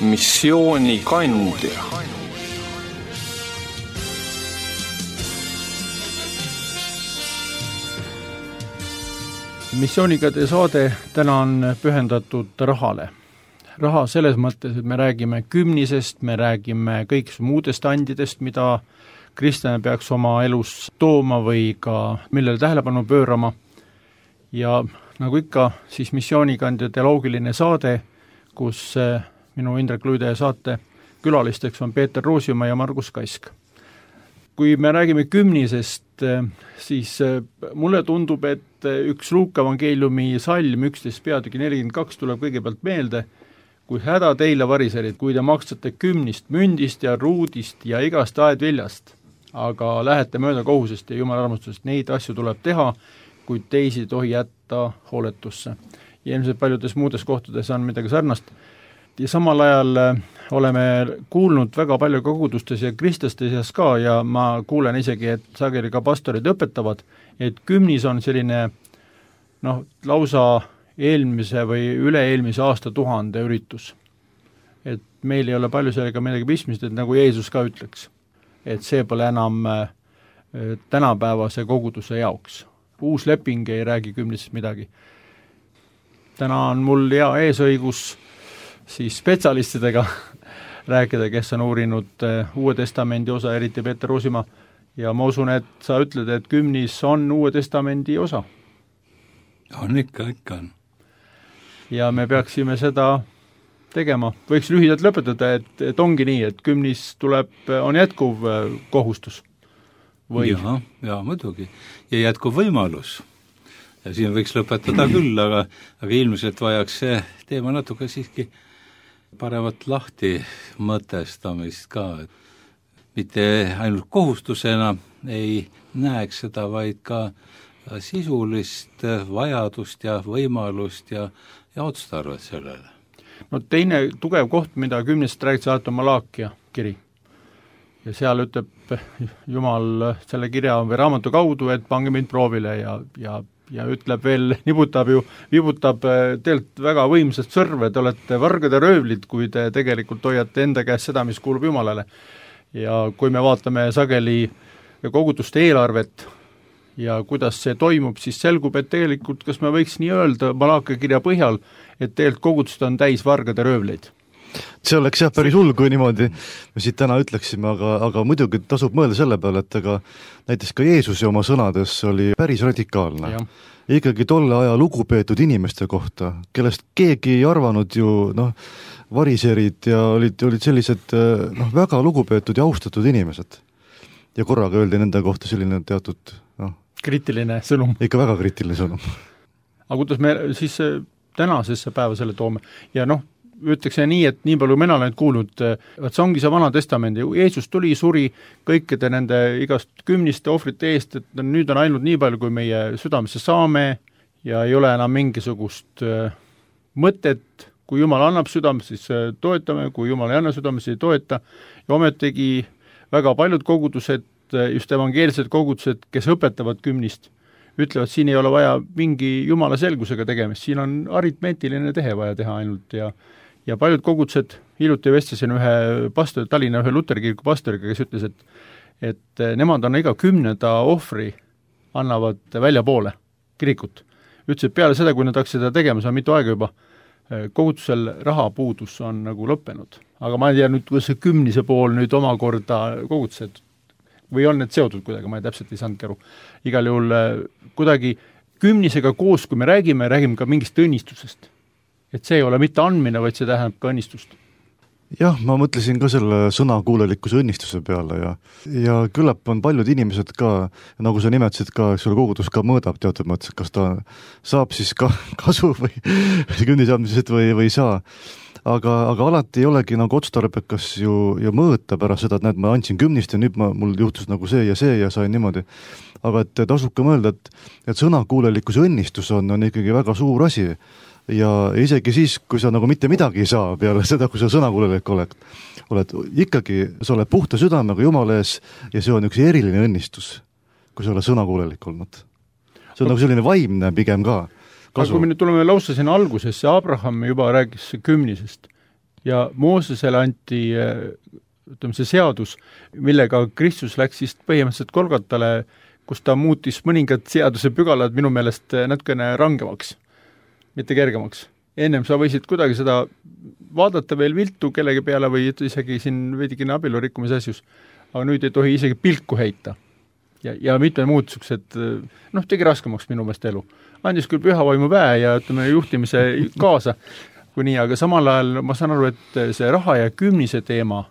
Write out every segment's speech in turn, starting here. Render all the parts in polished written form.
missioonikandja. Missioonikandja saade täna on pühendatud rahale. Raha selles mõttes, et me räägime kümnisest, me räägime kõigist muudest andidest, mida kristlane peaks oma elus tooma või ka millele tähelepanu pöörama. Ja nagu ikka, siis missioonikandja teoloogiline saade, kus minu Indrek Luide saate külalisteks on Peeter Roosimaa ja Margus Kask. Kui me räägime kümnisest, siis mulle tundub, et üks Luuka evangeeliumi salm 11 peatüki 42 tuleb kõigepealt meelde, kui häda teile variserid, kui te maksate kümnist, mündist ja ruudist ja igast aedviljast, aga lähete mööda kohusest ja Jumala armastusest, neid asju tuleb teha, kuid teisi tohi jätta hooletusse. Ja ilmselt paljudes muudes kohtades on midagi sarnast. Ja samal ajal oleme kuulnud väga palju kogudustes ja kristlaste seas ka ja ma kuulen isegi, et sageli ka pastorid õpetavad, et kümnis on selline lausa eelmise või üle-eelmise aastatuhande üritus. Et meil ei ole palju sellega midagi pistmist, et nagu Jeesus ka ütleks, et see pole enam tänapäevase koguduse jaoks. Uus leping ei räägi kümnisest midagi. Täna on mul hea eesõigus siis spetsialistidega rääkida, kes on uurinud Uue Testamendi osa, eriti Peeter Roosimaa, ja ma usun, et sa ütled, et kümnis on Uue Testamendi osa. On ikka on. Ja me peaksime seda tegema. Võiks lühidalt lõpetada, et ongi nii, et kümnis on jätkuv kohustus. Ja muidugi. Ja jätkuv võimalus. Ja siin võiks lõpetada küll, aga ilmselt vajaks see teema natuke siiski paremat lahti mõtestamist ka. Mitte ainult kohustusena ei näeks seda, vaid ka sisulist vajadust ja võimalust ja otstarvet sellele. No teine tugev koht, mida kümnest räägid alati on Malaakia kiri. Ja seal ütleb Jumal selle kirja või raamatu kaudu, et pange mind proovile ja ütleb veel, vibutab teilt väga võimsat sõrve, te olete vargad ja röövlid, kui te tegelikult hoiate enda käest seda, mis kuulub Jumalale. Ja kui me vaatame sageli koguduste eelarvet, ja kuidas see toimub, siis selgub, et tegelikult, kas me võiks nii öelda Malaakia kirja põhjal, et tegelikult kogudused on täis vargad ja röövleid. See oleks päris hull, kui niimoodi me siit täna ütleksime, aga muidugi tasub mõelda selle peale, et näiteks ka Jeesus oma sõnades oli päris radikaalne. Ikkagi tolle aja lugupeetud inimeste kohta, kellest keegi ei arvanud ju, variserid ja olid sellised väga lugupeetud ja austatud inimesed. Ja korraga öeldi nende kohta selline teatud kriitiline sõnum. Ikka väga kriitiline sõnum. Aga kuidas me siis tänasesse päeva selle toome? Ja ütleks nii, et nii palju mina olen kuulnud, et see ongi see Vana Testamendi. Jeesus tuli, suri kõikide nende igast kümniste ohvrite eest, et nüüd on ainult nii palju, kui meie südamesse saame ja ei ole enam mingisugust mõtet. Kui Jumal annab südamesse, siis toetame, kui Jumal ei anna südamesse, ei toeta. Ja ometegi väga paljud kogudused, just evangeelsed kogudused, kes õpetavad kümnist, ütlevad, siin ei ole vaja mingi Jumala selgusega tegemist, siin on aritmeetiline tehe vaja teha ainult ja paljud kogudused, hiljuti vestlesin ühe pastori, Tallinna ühe luterkirku pastoriga, kes ütles, et nemad on iga 10. ohvri annavad välja poole kirikut. Ütles, et peale seda, kui nad hakkasid seda tegema, see on mitu aega juba, kogudusel rahapuudus on nagu lõppenud. Aga ma ei tea nüüd, kuidas see 10. pool nüüd omakorda kogudused või on need seotud kuidagi, ma täpselt ei saanud aru. Igal juhul kuidagi 10. koos, kui me räägime ka mingist õnnistusest. Et see ei ole mitte andmine, vaid see tähendab ka õnnistust. Jah, ma mõtlesin ka selle sõnakuulelikkuse õnnistuse peale ja küllap on paljud inimesed ka, nagu sa nimetasid ka, selle kogudus ka mõõdab teatud mõttes, kas ta saab siis ka kasu või kümnisandmisest või ei saa. Aga alati ei olegi nagu otstarbekas ju mõõta pärast seda, et näed, ma andsin 10 ja nüüd mul juhtus nagu see ja sain niimoodi. Aga et tasub ka mõelda, et sõnakuulelikkuse õnnistus on ikkagi väga suur asi ja isegi siis, kui sa nagu mitte midagi ei saa peale seda, kui sa sõnakuulelik oled, ikkagi sa oled puhta südamega Jumala ees ja see on üks eriline õnnistus, kui sa oled sõnakuulelik olnud. See on nagu selline vaimne pigem ka. Aga kui me nüüd tuleme lausa sinna algusesse, Abraham juba rääkis 10. ja Moosesele anti ütleme, see seadus, millega Kristus läks siis põhimõtteliselt Golgotale, kus ta muutis mõningad seaduse pügalad minu meelest natukene rangemaks, mitte kergemaks. Ennem sa võisid kuidagi seda vaadata veel viltu kellegi peale või isegi siin veidikene abielu rikkumise asjus, aga nüüd ei tohi isegi pilku heita. Ja mitmed muud niisugused, tegi raskemaks minu meelest elu. Andis küll pühavaimu väe ja ütleme juhtimise kaasa, kui nii, aga samal ajal ma saan aru, et see raha ja kümnise teema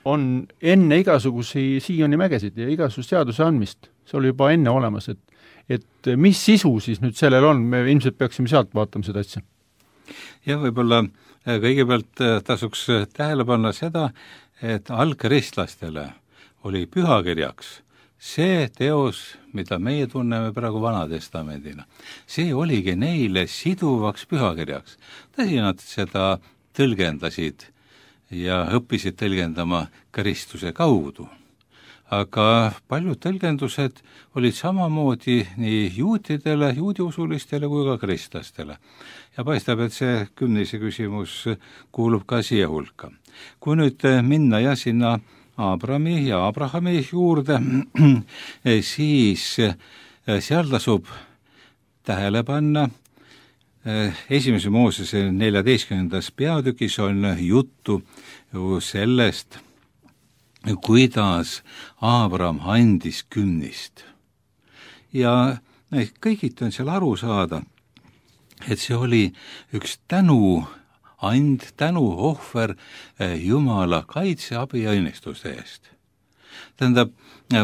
on enne igasugusi Sioni mägesid ja igasugust seaduse andmist. See oli juba enne olemas, et mis sisu siis nüüd sellel on, me ilmselt peaksime sealt vaatama seda asja. Ja võib-olla kõigepealt tasuks tähele panna seda, et algkristlastele oli pühakirjaks see teos, mida meie tunneme praegu Vanatestamendina. See oligi neile siduvaks pühakirjaks. Tõsi, nad seda tõlgendasid ja õppisid tõlgendama Kristuse kaudu. Aga paljud tõlgendused olid samamoodi nii juutidele, juudiusulistele kui ka kristlastele. Ja paistab, et see kümnise küsimus kuulub ka siia hulka. Kui nüüd minna ja sinna Abrahami ja Abrahami juurde, siis seal tasub tähele panna, esimese Moosese 14. peatükis on juttu sellest, kuidas Abraham andis kümnist. Ja kõigit on seal aru saada, et see oli üks tänuohver Jumala kaitse, abi ja õnnistuste eest. Tähendab,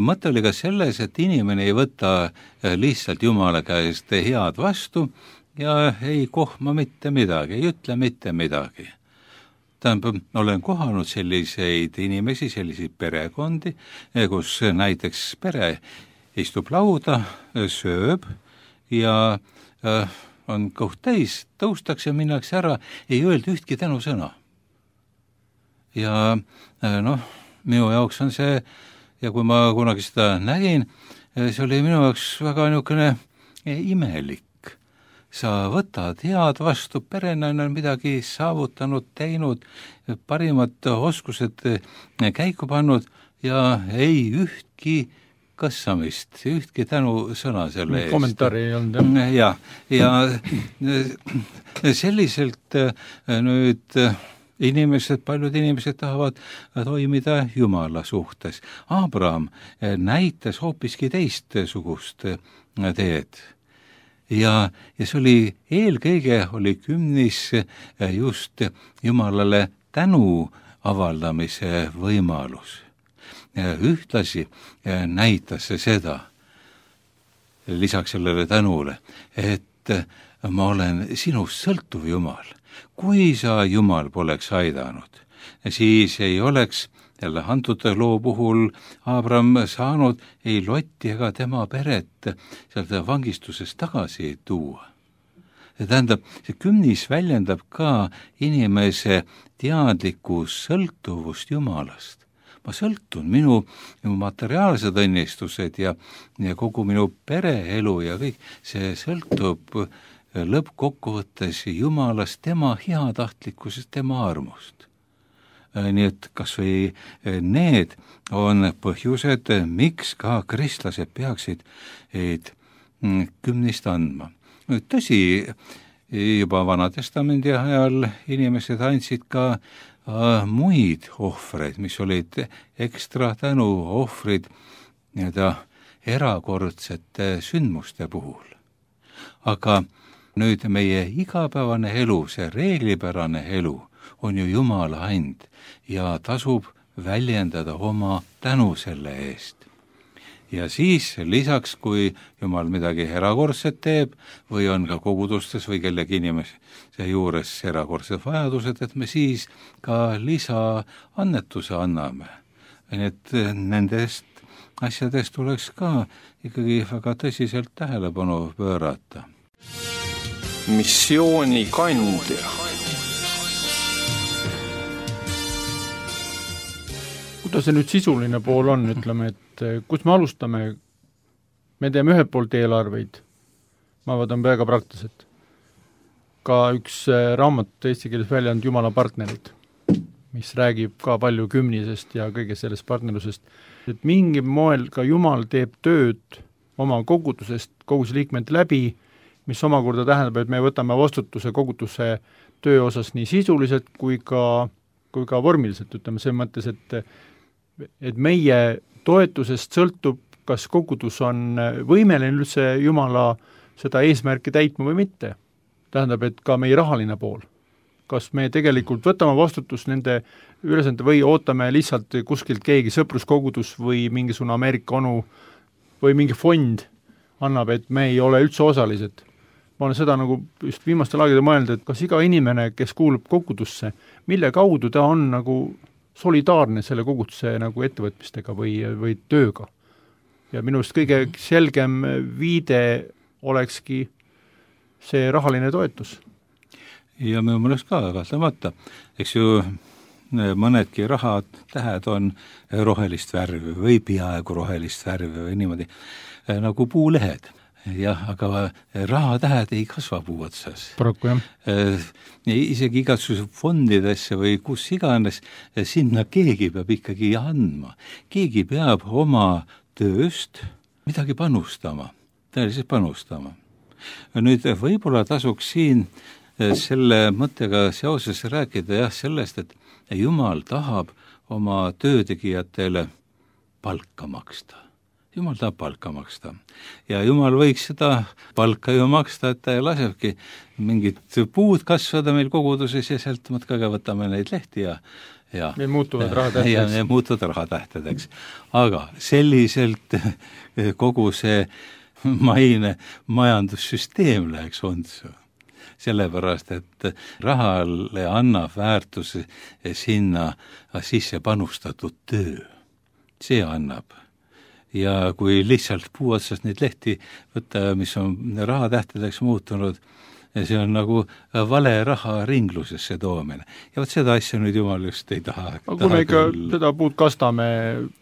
mõte oli ka selles, et inimene ei võta lihtsalt Jumala käest head vastu ja ei kohma mitte midagi, ei ütle mitte midagi. Tähendab, olen kohanud selliseid inimesi, selliseid perekondi, kus näiteks pere istub lauda, sööb ja on kõht täis, tõustakse, minnakse ära, ei öelda ühtki tänusõna. Ja minu jaoks on see, ja kui ma kunagi seda nägin, see oli minu jaoks väga niisugune imelik. Sa võtad head vastu, perena on midagi saavutanud, teinud, parimad oskused käiku pannud ja ei ühtki kassamist, ühtki tänusõna selle eest. Kommentaari ei olnud, jah. Ja selliselt nüüd paljud inimesed tahavad toimida Jumala suhtes. Abraham näitas hoopiski teistsugust teed. Ja see oli, eelkõige oli kümnis just Jumalale tänu avaldamise võimalus. Ühtlasi näitas see seda, lisaks sellele tänule, et ma olen sinust sõltuv Jumal. Kui sa Jumal poleks aidanud, siis ei oleks jälle antud loo puhul Abraham saanud ei Lotti ega tema peret sealt vangistusest tagasi tuua. See tähendab, see kümnis väljendab ka inimese teadlikku sõltuvust Jumalast. Ma sõltun, minu materiaalsed õnnistused ja kogu minu pereelu ja kõik, see sõltub lõppkokkuvõttes Jumalast, tema heatahtlikkusest, tema armust. Nii et kas või need on põhjused, miks ka kristlased peaksid kümnist andma. Tõsi, juba Vanatestamendi ajal inimesed andsid ka muid ohvreid, mis olid ekstra tänu ohvrid erakordsete sündmuste puhul. Aga nüüd meie igapäevane elu, see reeglipärane elu on ju Jumala and ja tasub väljendada oma tänu selle eest. Ja siis lisaks, kui Jumal midagi erakordset teeb või on ka kogudustes või kellegi inimese juures erakordsed vajadused, et me siis ka lisaannetuse anname. Et nendest asjadest tuleks ka ikkagi väga tõsiselt tähelepanu pöörata. Missiooni kandja. Kuidas see nüüd sisuline pool on, ütleme, et kus me alustame? Me teeme ühelt poolt eelarveid, ma vaatan väga praktiliselt. Ka üks raamat eesti keeles välja on Jumala partnerid. mis räägib ka palju kümnisest ja kõige sellest partnerlusest, et mingil moel ka Jumal teeb tööd oma kogudusest, koguduse liikmete läbi, mis omakorda tähendab, et me võtame vastutuse koguduse töö osas nii sisuliselt kui ka vormiliselt, ütleme selles mõttes, et meie toetusest sõltub, kas kogudus on võimeline üldse Jumala seda eesmärki täitma või mitte. Tähendab, et ka meie rahaline pool. Kas me tegelikult võtame vastutust nende ülesande või ootame lihtsalt kuskilt keegi sõpruskogudus või mingisugune Ameerika onu või mingi fond annab, et me ei ole üldse osalised. Ma olen seda nagu just viimastel aegadel mõelnud, et kas iga inimene, kes kuulub kogudusse, mille kaudu ta on nagu solidaarne selle koguduse nagu ettevõtmistega või tööga. Ja minust kõige selgem viide olekski see rahaline toetus. Ja minu mõelest ka kahtlemata, eks ju mõnedki rahatähed on rohelist värvi või peaaegu rohelist värvi või niimoodi nagu puulehed. Jah, aga rahatähed ei kasva puu otsas. Paraku, jah. Isegi igasuguse fondidesse või kus iganes, sinna keegi peab ikkagi andma. Keegi peab oma tööst midagi panustama, tõeliselt panustama. Nüüd võib-olla tasuks siin selle mõttega seoses rääkida sellest, et Jumal tahab oma töötegijatele palka maksta. Jumal tahab palka maksta. Ja Jumal võiks seda palka ju maksta, et ta lasebki mingid puud kasvada meil koguduses ja sealt mõtkaga võtame neid lehti ja need muutuvad rahatähtedeks. Ja need muutuvad rahatähtedeks. Aga selliselt kogu see maine majandussüsteem läheks ontsu. Sellepärast, et rahale annab väärtuse sinna sisse panustatud töö. See annab. Ja kui lihtsalt puu otsast neid lehti võtta, mis on rahatähtedeks muutunud, see on nagu vale raha ringlusesse toomine. Ja võt seda asja nüüd Jumal just ei taha. Aga kui me ikka seda puud kastame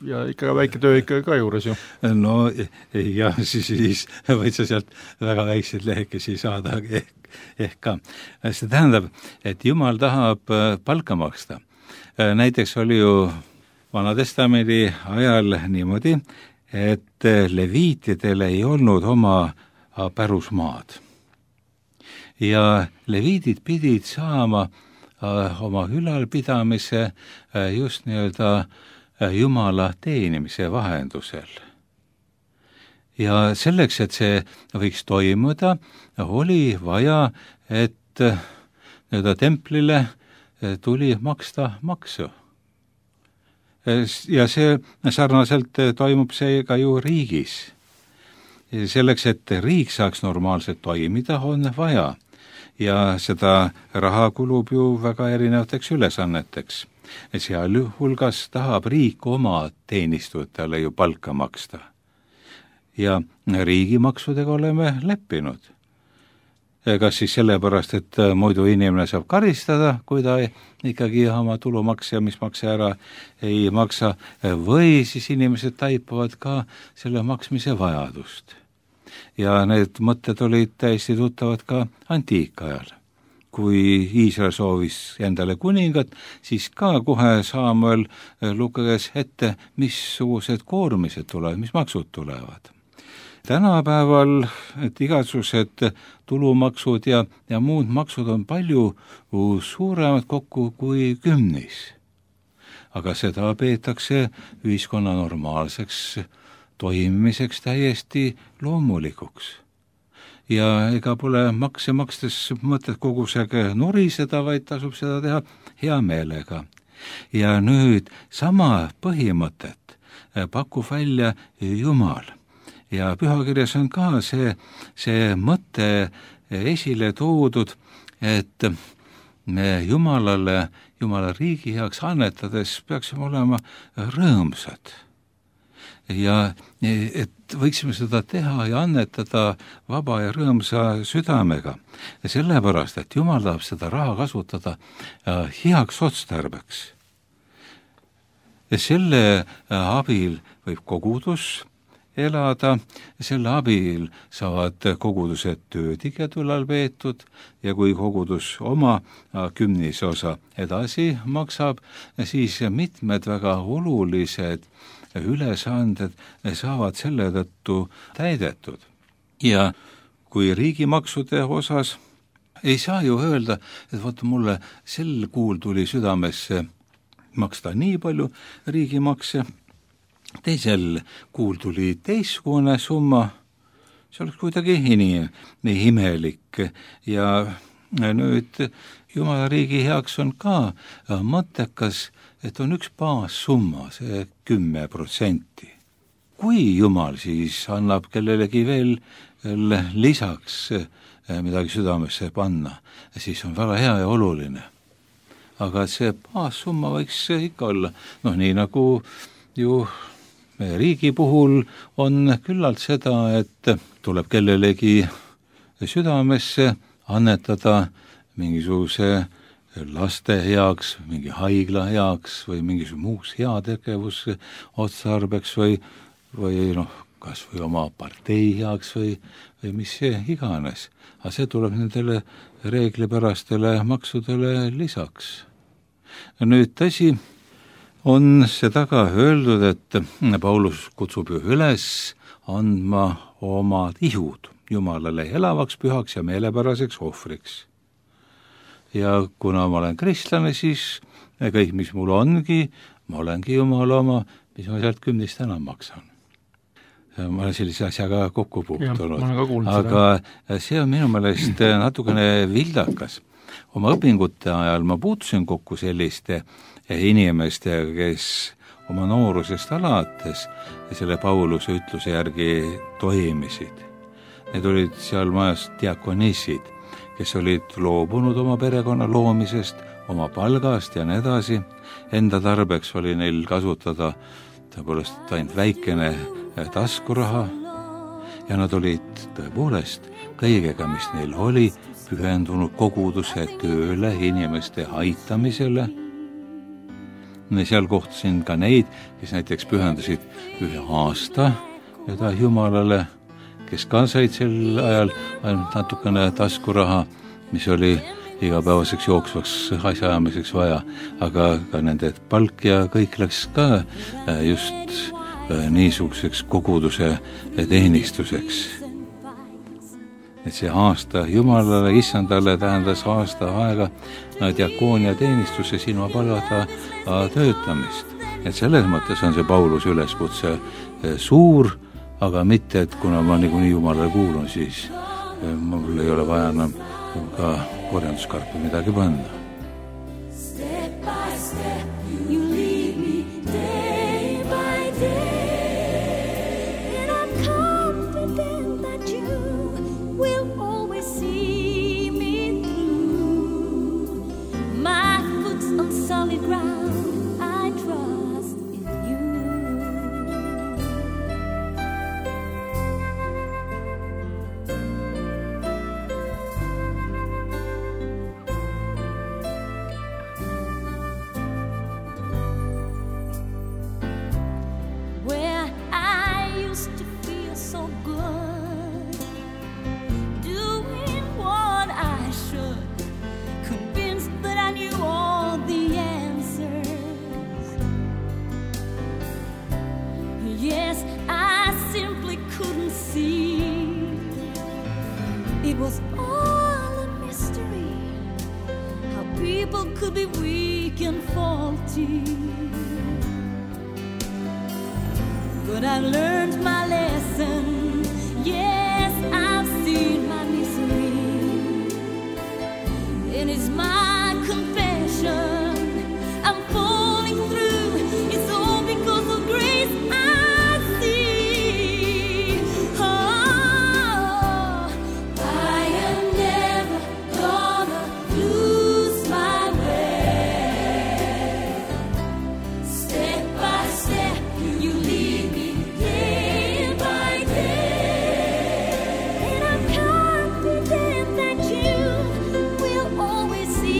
ja ikka väike töö ikka ka juures ju. No ja siis võid sa sealt väga väikseid lehekesi saada ehk ka. See tähendab, et Jumal tahab palka maksta. Näiteks oli ju Vanatestamendi ajal niimoodi, et leviitidel ei olnud oma pärusmaad. Ja leviidid pidid saama oma ülalpidamise just nii-öelda Jumala teenimise vahendusel. Ja selleks, et see võiks toimuda, oli vaja, et nii-öelda templile tuli maksta maksu. Ja see sarnaselt toimub see ka ju riigis. Selleks, et riik saaks normaalselt toimida, on vaja. Ja seda raha kulub ju väga erinevateks ülesanneteks. Seal hulgas tahab riik oma teenistujatele ju palka maksta. Ja riigimaksudega oleme leppinud. Kas siis sellepärast, et muidu inimene saab karistada, kui ta ikkagi oma tulumaks ja mis makse ära ei maksa, või siis inimesed taipavad ka selle maksmise vajadust. Ja need mõtted olid täiesti tuttavad ka antiikajal. Kui Iisrael soovis endale kuningat, siis ka kohe Saamuel luges ette, missugused koormised tulevad, mis maksud tulevad. Tänapäeval igasugused tulumaksud ja muud maksud on palju suuremad kokku kui kümnis. Aga seda peetakse ühiskonna normaalseks toimimiseks täiesti loomulikuks. Ja ega pole makse makstes mõtet kogu see nuriseda, vaid tasub seda teha hea meelega. Ja nüüd sama põhimõtet pakub välja Jumal. Ja pühakirjas on ka see mõte esile toodud, et me Jumala riigi heaks annetades peaksime olema rõõmsad. Ja et võiksime seda teha ja annetada vaba ja rõõmsa südamega. Sellepärast, et Jumal tahab seda raha kasutada heaks otstarbeks. Ja selle abil võib kogudus elada, selle abil saavad kogudused töötiged ülal peetud ja kui kogudus oma kümnise osa edasi maksab, siis mitmed väga olulised ülesanded saavad selle tõttu täidetud. Ja kui riigimaksude osas ei saa ju öelda, et vaata mulle sel kuul tuli südamesse maksta nii palju riigimakse, teisel kuul tuli teistsugune summa, see oleks kuidagi nii imelik ja nüüd Jumala riigi heaks on ka mõttekas, et on üks baassumma, see 10%. Kui Jumal siis annab kellelegi veel lisaks midagi südamesse panna, siis on väga hea ja oluline. Aga see baassumma võiks ikka olla, nii nagu ju meie riigi puhul on küllalt seda, et tuleb kellelegi südamesse annetada mingisuguse laste heaks, mingi haigla heaks või mingisuguse muuks heategevus otstarbeks või kas või oma partei heaks või mis see iganes. Aga see tuleb nendele reeglipärastele maksudele lisaks. Nüüd tõsi, on seda ka öeldud, et Paulus kutsub ju üles andma omad ihud Jumalale elavaks, pühaks ja meelepäraseks ohvriks. Ja kuna ma olen kristlane, siis kõik, mis mul ongi, ma olengi Jumala oma, mis ma sealt 10 enam maksan. Ma olen sellise asjaga kokku puutunud, aga see on minu meelest natukene vildakas. Oma õpingute ajal ma puutusin kokku selliste inimestega, kes oma noorusest alates selle Pauluse ütluse järgi toimisid. Need olid seal majas diakonissid, kes olid loobunud oma perekonna loomisest, oma palgast ja nii edasi. Enda tarbeks oli neil kasutada tõepoolest ainult väikene taskuraha ja nad olid tõepoolest kõigega, mis neil oli, pühendunud koguduse tööle, inimeste aitamisele. Seal kohtasin ka neid, kes näiteks pühendasid 1 aasta Jumalale, kes ka said sel ajal ainult natukene taskuraha, mis oli igapäevaseks jooksvaks asjaajamiseks vaja, aga ka nende palk ja kõik läks ka just niisuguseks koguduse teenistuseks. Et see aasta Jumalale, Issandale tähendas aasta aega diakoonia teenistuse silma palgata töötamist. Et selles mõttes on see Pauluse üleskutse suur, aga mitte, et kuna ma niikuinii Jumalale kuulun, siis mul ei ole vaja enam ka korjanduskarpi midagi panna. But I've learned my lesson. Yes, I've seen my misery. It is my confession. I'm falling through. It's all because of grace I see. Oh, I am never gonna lose my way. Step by step, you lead me day by day. And I'm confident that you will always see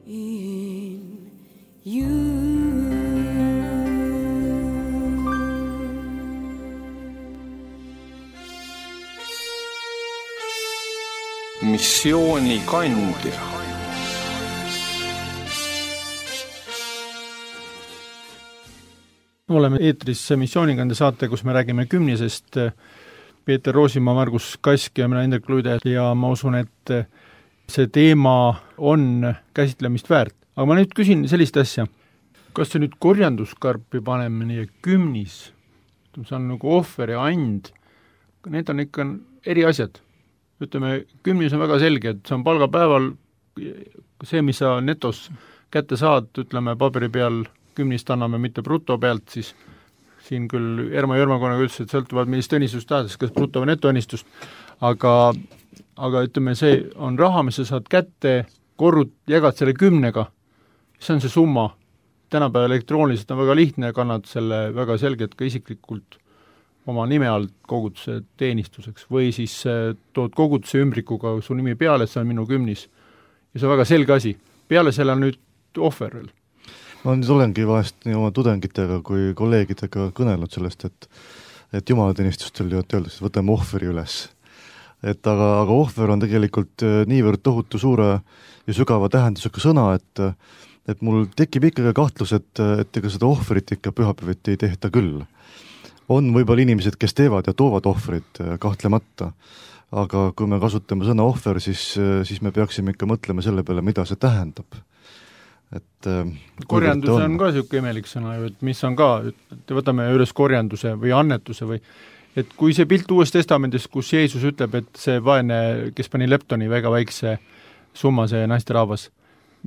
in you. Missioonikandja. Oleme eetris Missioonikandja saate, kus me räägime kümnisest. Peeter Roosimaa, Margus Kask ja mina Indrek Luide ja ma usun, et see teema on käsitlemist väärt. Aga ma nüüd küsin sellist asja, kas see nüüd korjanduskarpi panemine ja kümnis, see on nagu ohver ja and, need on ikka eri asjad. Ütleme, kümnis on väga selge, et see on palgapäeval see, mis sa netos kätte saad, ütleme paberi peal kümnist anname mitte bruto pealt, siis siin küll Erma Jörmakonnaga ütles, et sõltuvad millist õnnistust tahades, kas bruto või netoõnnistust, aga ütleme, see on raha, mis sa saad kätte, jagad selle 10-ga, see on see summa. Tänapäeval elektrooniliselt on väga lihtne, kannad selle väga selgelt ka isiklikult oma nime alt koguduse teenistuseks või siis tood koguduse ümbrikuga su nimi peale, et see on minu kümnis. Ja see on väga selge asi. Peale selle on nüüd ohver veel. Ma nüüd olengi vahest nii oma tudengitega kui kolleegidega kõnelnud sellest, et jumalateenistustel öeldakse, et võtame ohveri üles. Aga ohver on tegelikult niivõrd tohutu suure ja sügava tähendusega sõna, et mul tekib ikkagi kahtlus, et ega seda ohverit ikka pühapäeviti ei tehta küll. On võib-olla inimesed, kes teevad ja toovad ohvrit kahtlemata, aga kui me kasutame sõna ohver, siis me peaksime ikka mõtlema selle peale, mida see tähendab. Korjandus on ka selline imelik sõna, et mis on ka, et võtame üles korjanduse või annetuse või, et kui see pilt Uues Testamendis, kus Jeesus ütleb, et see vaene, kes pani leptoni väga väikse summa, see naisterahvas,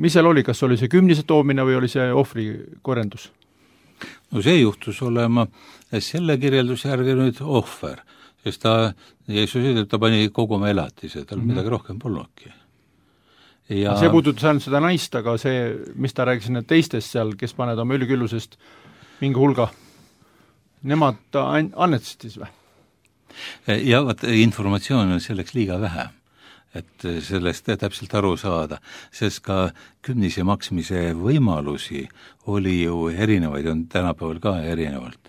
mis seal oli, kas oli see kümnise toomine või oli see ohvri korjandus? No see juhtus olema selle kirjelduse järgi nüüd ohver, sest Jeesus ütleb, ta pani kogu oma elatise, tal midagi rohkem polnudki. Ja see puudutas ainult seda naist, aga see, mis ta rääkis need teistest seal, kes paned oma üliküllusest mingi hulga, nemad annetasid siis või? Ja informatsioon on selleks liiga vähe, et sellest täpselt aru saada, sest ka kümnise maksmise võimalusi oli ju erinevaid, on tänapäeval ka erinevalt.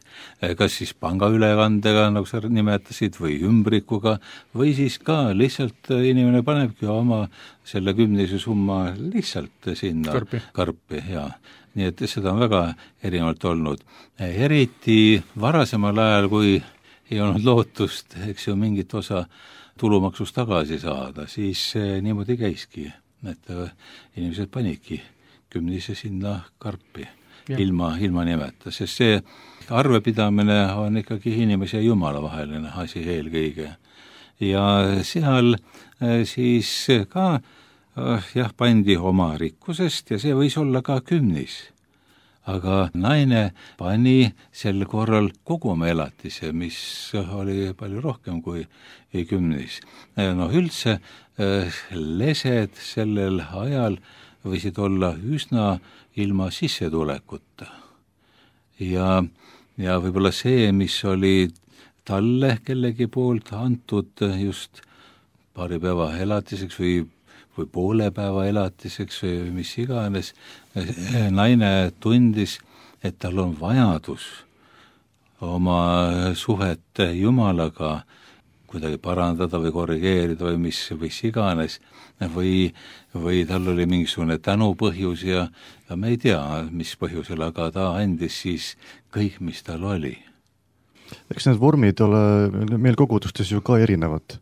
Kas siis pangaülekandega, nagu sa nimetasid, või ümbrikuga, või siis ka lihtsalt inimene panebki oma selle kümnise summa lihtsalt sinna karpi ja nii et seda on väga erinevalt olnud. Eriti varasemal ajal, kui ei olnud lootust, eks ju, mingit osa tulumaksust tagasi saada, siis niimoodi käiski, et inimesed panidki kümnise sinna karpi ilma nimeta, sest see arvepidamine on ikkagi inimese ja Jumala vaheline asi eelkõige. Ja seal siis ka pandi oma rikkusest ja see võis olla ka kümnis. Aga naine pani sel korral kogu oma elatise, mis oli palju rohkem kui kümnis. Üldse lesed sellel ajal võisid olla üsna ilma sissetulekuta. Ja võib-olla see, mis oli talle kellegi poolt antud just paari päeva elatiseks või poole päeva elatiseks või mis iganes, naine tundis, et tal on vajadus oma suhet Jumalaga kuidagi parandada või korrigeerida või mis iganes, või tal oli mingisugune tänupõhjus ja me ei tea, mis põhjusel, aga ta andis siis kõik, mis tal oli. Eks need vormid ole meil kogudustes ju ka erinevad.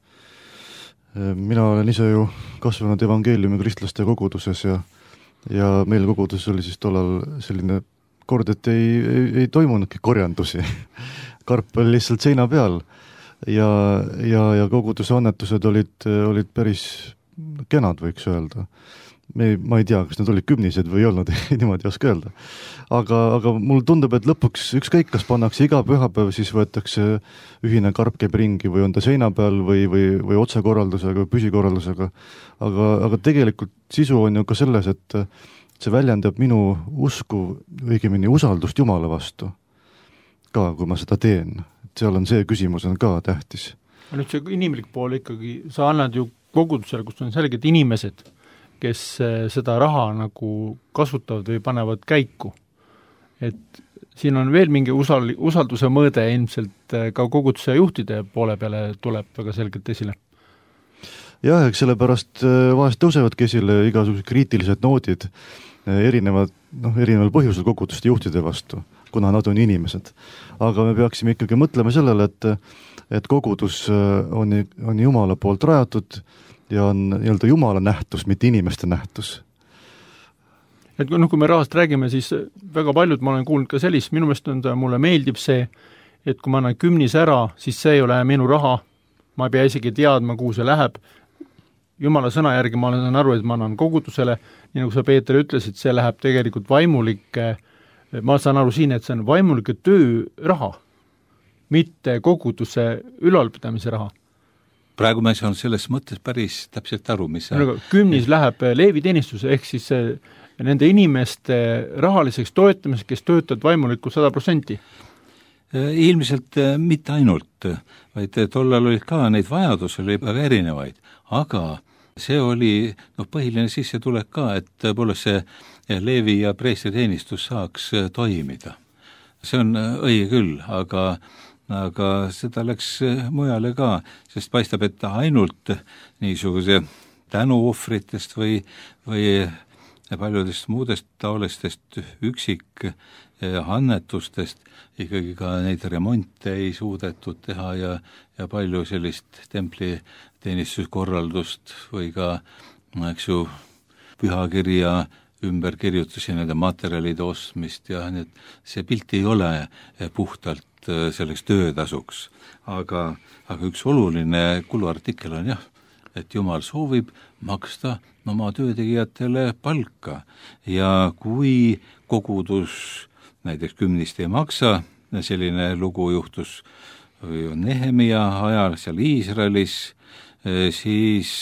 Mina olen ise ju kasvanud evangeeliumi kristlaste koguduses ja meil koguduses oli siis tollal selline kord, et ei toimunudki korjandusi. Karp oli lihtsalt seina peal ja koguduse annetused olid päris kenad, võiks öelda. Ma ei tea, kas need olid kümnised või ei olnud, niimoodi ei oska öelda. Aga mul tundub, et lõpuks ükskõik, kas pannakse iga pühapäev, siis võetakse ühine karp käib ringi või on ta seina peal või otsekorraldusega või püsikorraldusega. Aga tegelikult sisu on ju ka selles, et see väljendab minu usku, õigemini usaldust Jumala vastu. Ka, kui ma seda teen. Seal on see küsimus on ka tähtis. Nüüd see inimlik pool ikkagi, sa annad ju kogudusele, kus on selged inimesed, kes seda raha nagu kasutavad või panevad käiku. Et siin on veel mingi usalduse mõõde ilmselt ka koguduse juhtide poole peale tuleb väga selgelt esile. Jah, eks sellepärast vahest tõusevadki esile igasugused kriitilised noodid erineval põhjusel koguduste juhtide vastu, kuna nad on inimesed. Aga me peaksime ikkagi mõtlema sellele, et kogudus on Jumala poolt rajatud ja on nii-öelda Jumala nähtus, mitte inimeste nähtus. Et kui me rahast räägime, siis väga paljud, ma olen kuulnud ka sellist, minu meelest mulle meeldib see, et kui ma annan 10 ära, siis see ei ole minu raha, ma ei pea isegi teadma, kuhu see läheb. Jumala sõna järgi ma olen aru, et ma annan kogudusele, nii nagu sa, Peeter, ütlesid, see läheb tegelikult vaimulike, ma saan aru siin, et see on vaimulike töö raha, mitte koguduse ülalpidamise raha. Praegu me saan selles mõttes päris täpselt aru, mis 10 läheb leeviteenistuse, ehk siis nende inimeste rahaliseks toetamiseks, kes töötavad vaimulikult 100%. Ilmselt mitte ainult, vaid tollal olid ka neid vajadusi oli väga erinevaid, aga see oli põhiline sissetulek ka, et tõepoolest see leevi ja preestri teenistus saaks toimida. See on õige küll, aga seda läks mujale ka, sest paistab, et ainult niisuguse tänuohvritest või paljudest muudest taolistest üksik annetustest ikkagi ka neid remonte ei suudetud teha ja palju sellist templi teenistuskorraldust või ka, pühakirja ümberkirjutusi, nende materjalide ostmist ja see pilt ei ole puhtalt selleks töötasuks. Aga üks oluline kuluartikkel on et Jumal soovib maksta oma töötegijatele palka ja kui kogudus näiteks 10 ei maksa, selline lugu juhtus Nehemia ajal seal Iisraelis, siis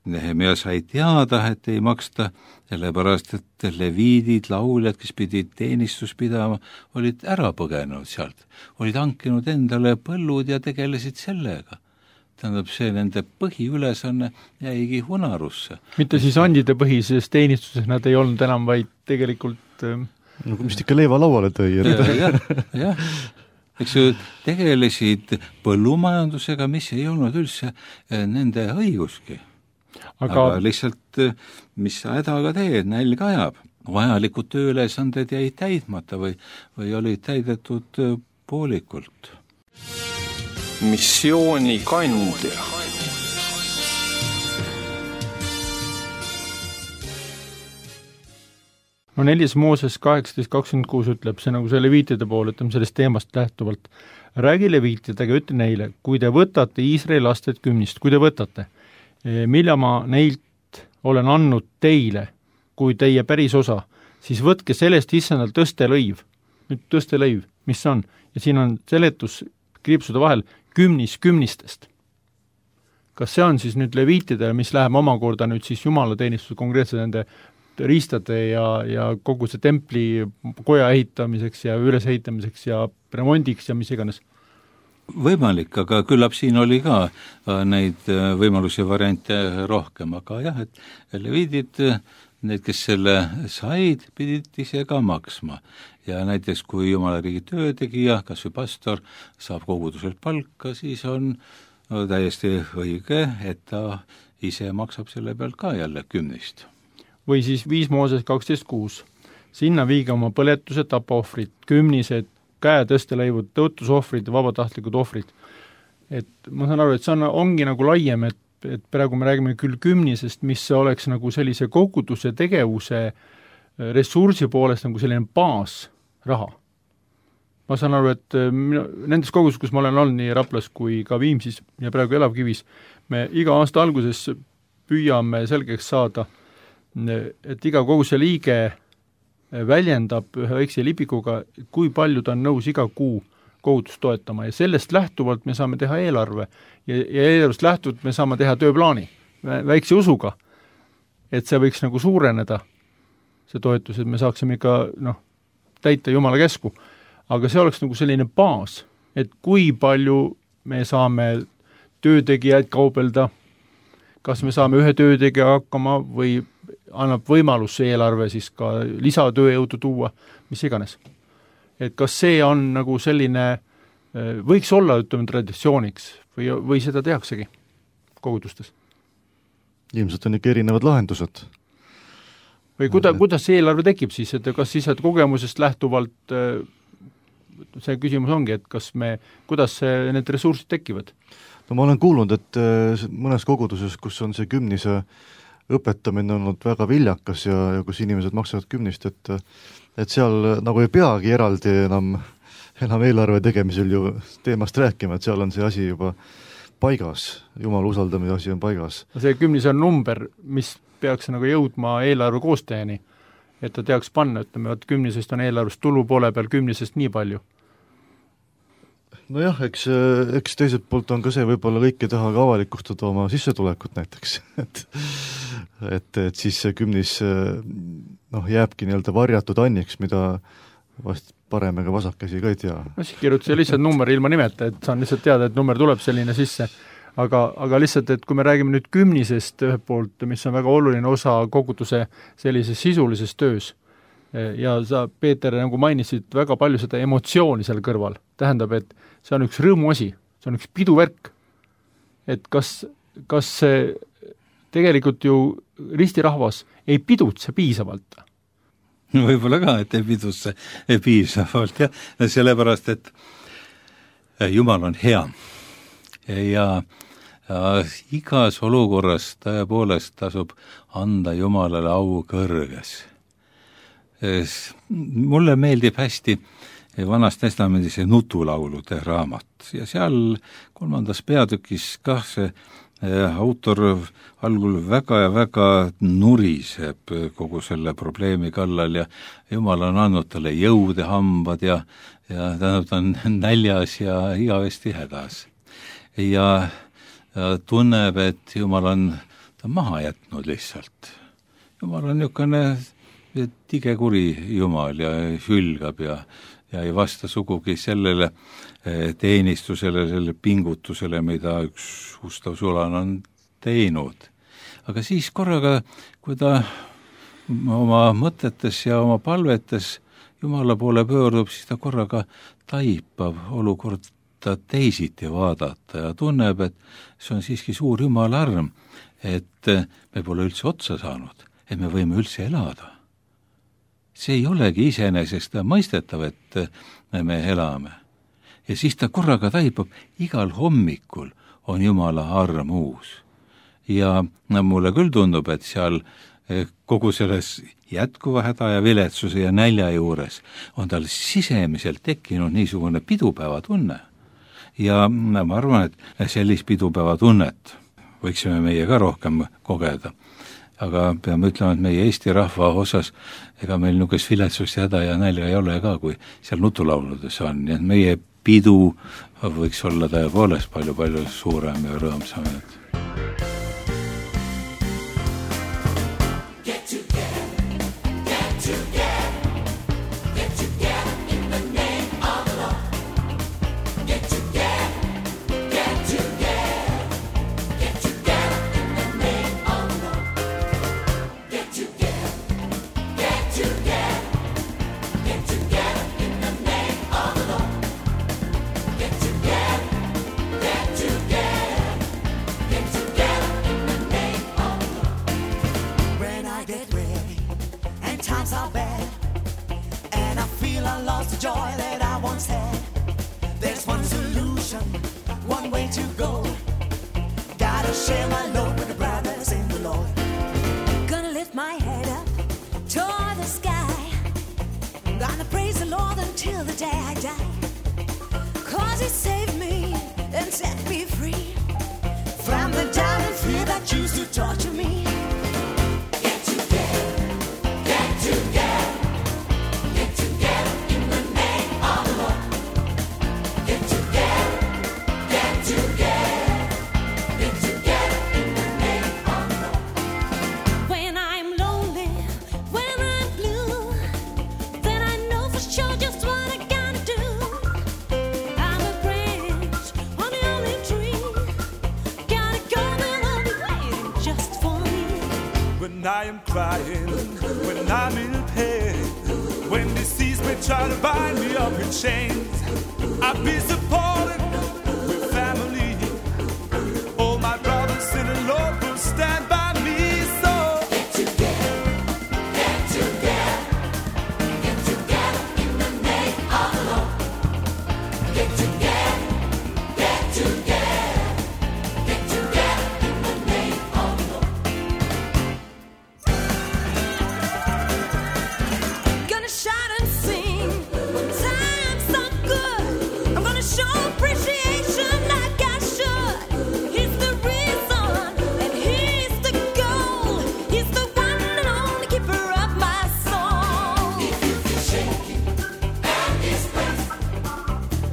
Nehemia sai teada, et ei maksta, sellepärast, et leviidid, lauljad, kes pidid teenistus pidama, olid ära põgenenud sealt, olid hankinud endale põllud ja tegelesid sellega. Tähendab, see nende põhiülesanne jäigi unarusse. Mitte siis andide põhises teenistuses nad ei olnud enam, vaid tegelikult mis ikka leiva lauale tõi. Jah. Eks ju, tegelesid põllumajandusega, mis ei olnud üldse nende õiguski. Aga lihtsalt, mis sa hädaga teed, nälg ajab. Vajalikud tööülesanded jäid täidmata või olid täidetud poolikult. Missiooni kandja. No 4. Mooses 18:26 ütleb, see nagu see leviitide pool, ütleme sellest teemast lähtuvalt. Räägi leviitidega, ütle neile, kui te võtate Iisraeli lasted 10, kui te võtate, mille ma neilt olen andnud teile, kui teie päris osa, siis võtke sellest issandal tõstelõiv. Nüüd tõstelõiv, mis on? Ja siin on seletus kriipsude vahel 10 Kas see on siis nüüd leviitidele, mis läheb omakorda nüüd siis jumalateenistuse konkreetselt nende riistade ja kogu see templi koja ehitamiseks ja ülesehitamiseks ja remondiks ja mis iganes? Võimalik, aga küllap siin oli ka neid võimalusi variante rohkem, aga jah, et leviidid, need, kes selle said, pidid ise ka maksma. Ja näiteks, kui Jumala riigi töötegija, kas või pastor, saab koguduselt palka, siis on täiesti õige, et ta ise maksab selle pealt ka jälle 10. Või siis 5 Mooses 12:6. Sinna viige oma põletuse tapaohvrid, 10, käetõstelõivud, tõotusohvrid ja vabatahtlikud ohvrid. Et ma saan aru, et see ongi nagu laiem, et praegu me räägime küll 10, mis oleks nagu sellise koguduse tegevuse ressursi poolest nagu selline baasraha. Ma saan aru, et nendes kogudus, kus ma olen olnud nii Raplas kui ka Viimsis ja praegu Elavkivis, me iga aasta alguses püüame selgeks saada, et iga koguduse liige väljendab ühe väikse lipikuga, kui palju ta on nõus iga kuu kogudust toetama ja sellest lähtuvalt me saame teha eelarve ja eelarvest lähtuvalt me saame teha tööplaani väikse usuga, et see võiks nagu suureneda, see toetus, et me saaksime ikka täita Jumala käsku. Aga see oleks nagu selline baas, et kui palju me saame töötegijaid kaubelda, kas me saame ühe töötegija hakkama või annab võimalus see eelarve siis ka lisatööjõudu tuua, mis iganes. Et kas see on nagu selline, võiks olla, ütleme, traditsiooniks või seda tehaksegi kogudustes? Ilmselt on ikka erinevad lahendused. Või kuidas see eelarve tekib siis, et kas siis kogemusest lähtuvalt see küsimus ongi, et kuidas need ressursid tekivad? No ma olen kuulnud, et mõnes koguduses, kus on see kümnise õpetamine olnud väga viljakas ja kus inimesed maksavad kümnist, et seal nagu ei peagi eraldi enam eelarve tegemisel ju teemast rääkima, et seal on see asi juba paigas, Jumala usaldamise asi on paigas. See kümnis on number, mis peaks nagu jõudma eelarve koostajani, et ta teaks panna, ütleme, et kümnisest on eelarvest tulu poole peal, kümnisest nii palju. Nojah, eks teiselt poolt on ka see, võib-olla kõik ei taha ka avalikustada oma sissetulekut näiteks, et siis see kümnis jääbki nii-öelda varjatud anniks, mida vast parem ega vasakkäsi ka ei tea. No siis kirjuta lihtsalt number ilma nimeta, et saan lihtsalt teada, et number tuleb selline sisse, aga lihtsalt, et kui me räägime nüüd kümnisest ühelt poolt, mis on väga oluline osa koguduse sellises sisulises töös, ja sa, Peeter, nagu mainisid väga palju seda emotsiooni seal kõrval, tähendab, et see on üks rõõmuasi, see on üks piduvärk, et kas see tegelikult ju ristirahvas ei pidutse piisavalt? Võib-olla ka, et ei pidutse piisavalt, jah, sellepärast, et Jumal on hea ja igas olukorras tõepoolest tasub anda Jumalale au kõrges. Mulle meeldib hästi Vanas Testamendis see nutulaulude raamat ja seal 3. peatükis kah see autor algul väga ja väga nuriseb kogu selle probleemi kallal ja Jumal on andnud talle jõude hambad ja ta on näljas ja igavesti hädas. Ja tunneb, et Jumal on ta maha jätnud lihtsalt. Jumal on niisugune tigekuri Jumal ja hülgab ja ei vasta sugugi sellele teenistusele, selle pingutusele, mida üks ustav sulan on teinud. Aga siis korraga, kui ta oma mõtetes ja oma palvetes Jumala poole pöördub, siis ta korraga taipab olukorda teisiti vaadata ja tunneb, et see on siiski suur Jumala arm, et me pole üldse otsa saanud, et me võime üldse elada. See ei olegi iseenesest mõistetav, et me elame. Ja siis ta korraga taipab, igal hommikul on Jumala arm uus. Ja mulle küll tundub, et seal kogu selles jätkuva häda ja viletsuse ja nälja juures on tal sisemiselt tekkinud niisugune pidupäeva tunne. Ja ma arvan, et sellist pidupäeva tunnet võiksime meie ka rohkem kogeda. Aga peame ütlema, et meie Eesti rahva osas ega meil niisugust viletsust ja häda ja nälja ei ole ka, kui seal nutulauludes on. Nii et meie pidu võiks olla tõepoolest palju suurem ja rõõmsam. When I'm blue, then I know for sure just what I gotta do. when I am crying, when I'm in pain, when disease may try to bind me up in chains, I'll be supported with family. All my brothers in the Lord will stand by me. So Get together, get together, get together in the name of the Lord. Get together, get together, get together in the name of the Lord. Gonna shout and sing when times so good. I'm gonna show appreciation like I should. He's the reason and he's the goal. He's the one and only keeper of my soul. If you feel shaky and disgraced,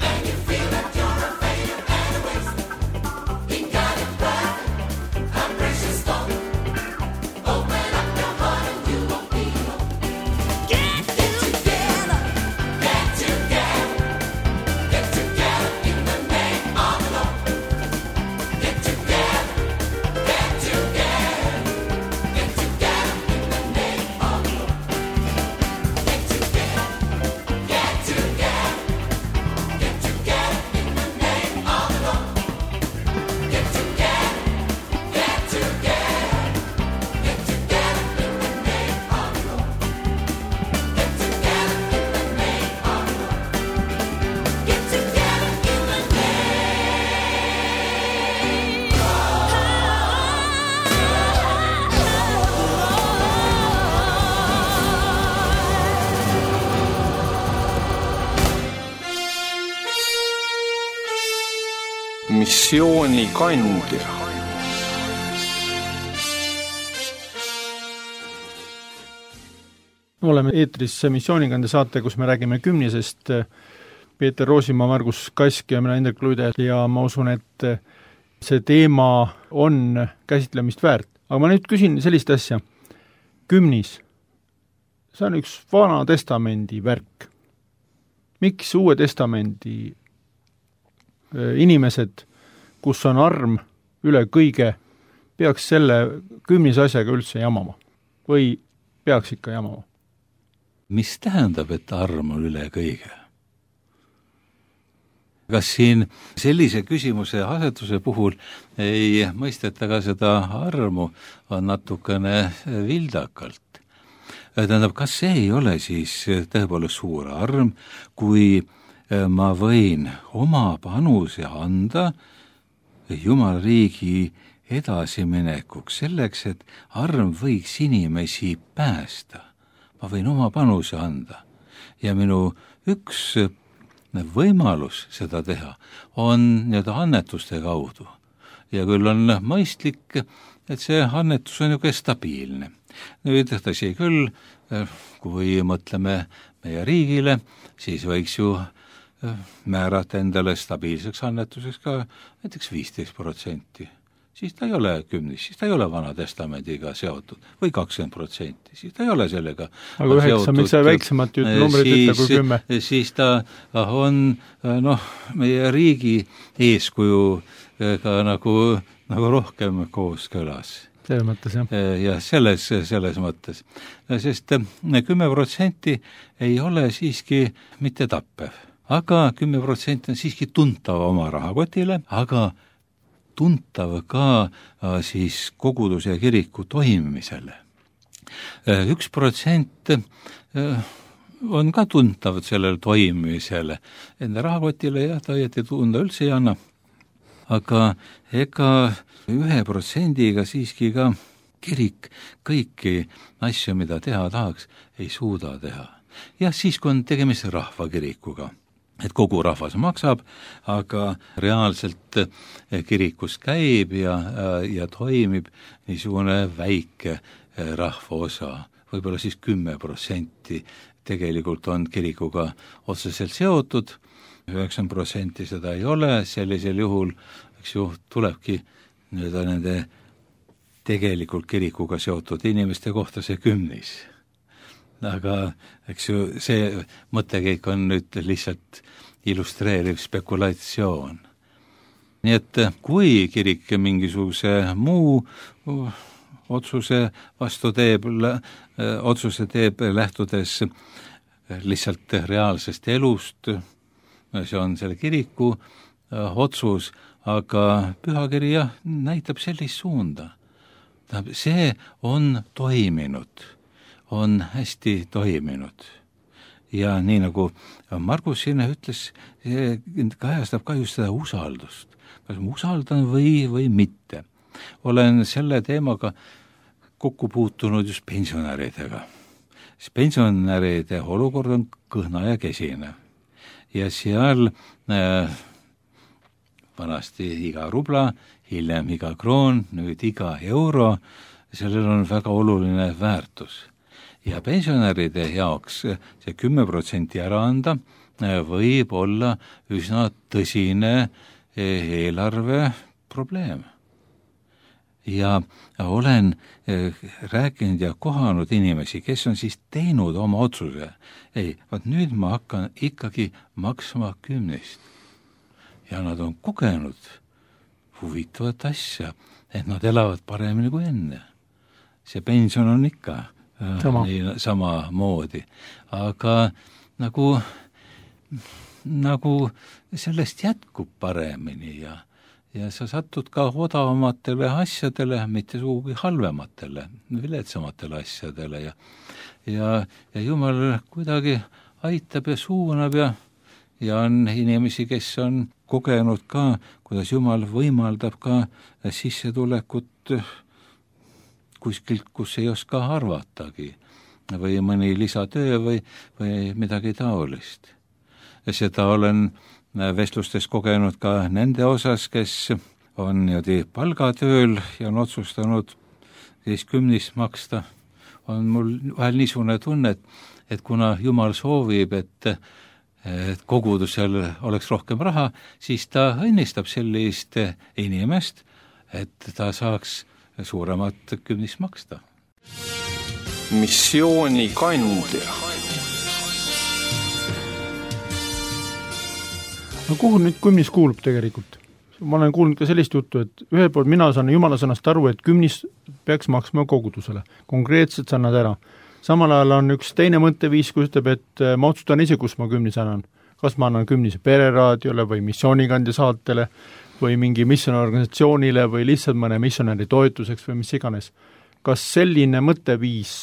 and you feel that you're a failure and a waste, in God and blood, a precious stone. Open up your heart and you won't be alone. Get together, get together, get together in the name of the Lord. Get together, get together, get together in the name of the Lord. Get together, get together, get together in the name of the Lord. Get together, get together, get together in the name of the Lord. Get together in the name of the Lord. Get together in the Missioonikandja. oleme eetris missioonikande saate, kus me räägime kümnisest. Peeter Roosimaa, Margus Kask ja mina Indrek Luide ja ma usun, et see teema on käsitlemist väärt. Aga ma nüüd küsin sellist asja. Kümnis, see on üks Vana Testamendi värk. Miks Uue Testamendi inimesed, kus on arm üle kõige, peaks selle kümnise asjaga üldse jamama? Või peaks ikka jamama? Mis tähendab, et arm on üle kõige? Kas siin sellise küsimuse asetuse puhul ei mõisteta ka seda armu on natukene vildakalt? Tähendab, kas see ei ole siis tõepoolest suur arm, kui ma võin oma panuse anda Jumala riigi edasiminekuks, selleks, et arm võiks inimesi päästa. Ma võin oma panuse anda. Ja minu üks võimalus seda teha on nii-öelda annetuste kaudu. Ja küll on mõistlik, et see annetus on ju stabiilne. Nüüd tõsi küll, kui mõtleme meie riigile, siis võiks ju määrata endale stabiilseks annetuseks ka näiteks 15%. Siis ta ei ole 10, siis ta ei ole Vana Testamendiga seotud, või 20%, siis ta ei ole sellega aga 9, miks sa väiksemat numbrit ütle kui 10? Siis ta on meie riigi eeskujuga nagu rohkem kooskõlas. Selles mõttes, jah. Ja selles mõttes. Sest 10% ei ole siiski mitte tappev, aga 10% on siiski tuntav oma rahakotile, aga tuntav ka siis koguduse ja kiriku toimimisele. 1% on ka tuntav sellele toimimisele. Enda rahakotile ja ta õieti tunda üldse ei anna. Aga ega 1%-ga siiski ka kirik kõiki asju, mida teha tahaks, ei suuda teha. Ja siis, kui on tegemist rahvakirikuga, et kogu rahvas maksab, aga reaalselt kirikus käib ja toimib niisugune väike rahva osa, võib-olla siis 10% tegelikult on kirikuga otseselt seotud, 9% seda ei ole, sellisel juhul eks ju, tulebki nende tegelikult kirikuga seotud inimeste kohta see 10. Aga eks ju, see mõttekäik on nüüd lihtsalt illustreeriv spekulatsioon. Nii et kui kirik mingisuguse muu otsuse vastu teeb, otsuse teeb lähtudes lihtsalt reaalsest elust, see on selle kiriku otsus, aga pühakiri jah, näitab sellist suunda. See on toiminud, on hästi toiminud. Ja nii nagu Margus sinna ütles, see kajastab ka just seda usaldust. Kas ma usaldan või mitte. Olen selle teemaga kokku puutunud just pensionäridega. Pensionäride olukord on kõhna ja kesine. Ja seal vanasti iga rubla, hiljem iga kroon, nüüd iga euro, sellel on väga oluline väärtus. Ja pensionäride jaoks see 10% ära anda võib olla üsna tõsine eelarve probleem. Ja olen rääkinud ja kohanud inimesi, kes on siis teinud oma otsuse. Ei, vaat nüüd ma hakkan ikkagi maksma 10. Ja nad on kogenud huvitavat asja, et nad elavad paremini kui enne. See pension on ikka sama moodi. Aga nagu sellest jätkub paremini ja sa satud ka odavamatele asjadele, mitte sugugi halvematele, viletsamatele asjadele ja Jumal kuidagi aitab ja suunab ja on inimesi, kes on kogenud ka, kuidas Jumal võimaldab ka sissetulekut kuskilt, kus ei oska arvatagi või mõni lisatöö või midagi taolist. Seda olen vestlustes kogenud ka nende osas, kes on palgatööl ja on otsustanud siis 10 maksta. On mul vahel niisugune tunne, et kuna Jumal soovib, et kogudusel oleks rohkem raha, siis ta õnnistab sellist inimest, et ta saaks suuremat 10 maksta. Missiooni kandja. No kuhu nüüd 10 kuulub tegelikult? Ma olen kuulnud ka sellist juttu, et ühel pool mina saan Jumala sõnast aru, et 10 peaks maksma kogudusele. Konkreetselt sa annad ära. Samal ajal on üks teine mõtteviis, kus ütleb, et ma otsustan ise, kus ma 10 annan. Kas ma annan 10 pereraadiole või missioonikandja saatele või mingi missiooniorganisatsioonile või lihtsalt mõne missionäri toetuseks või mis iganes. Kas selline mõtteviis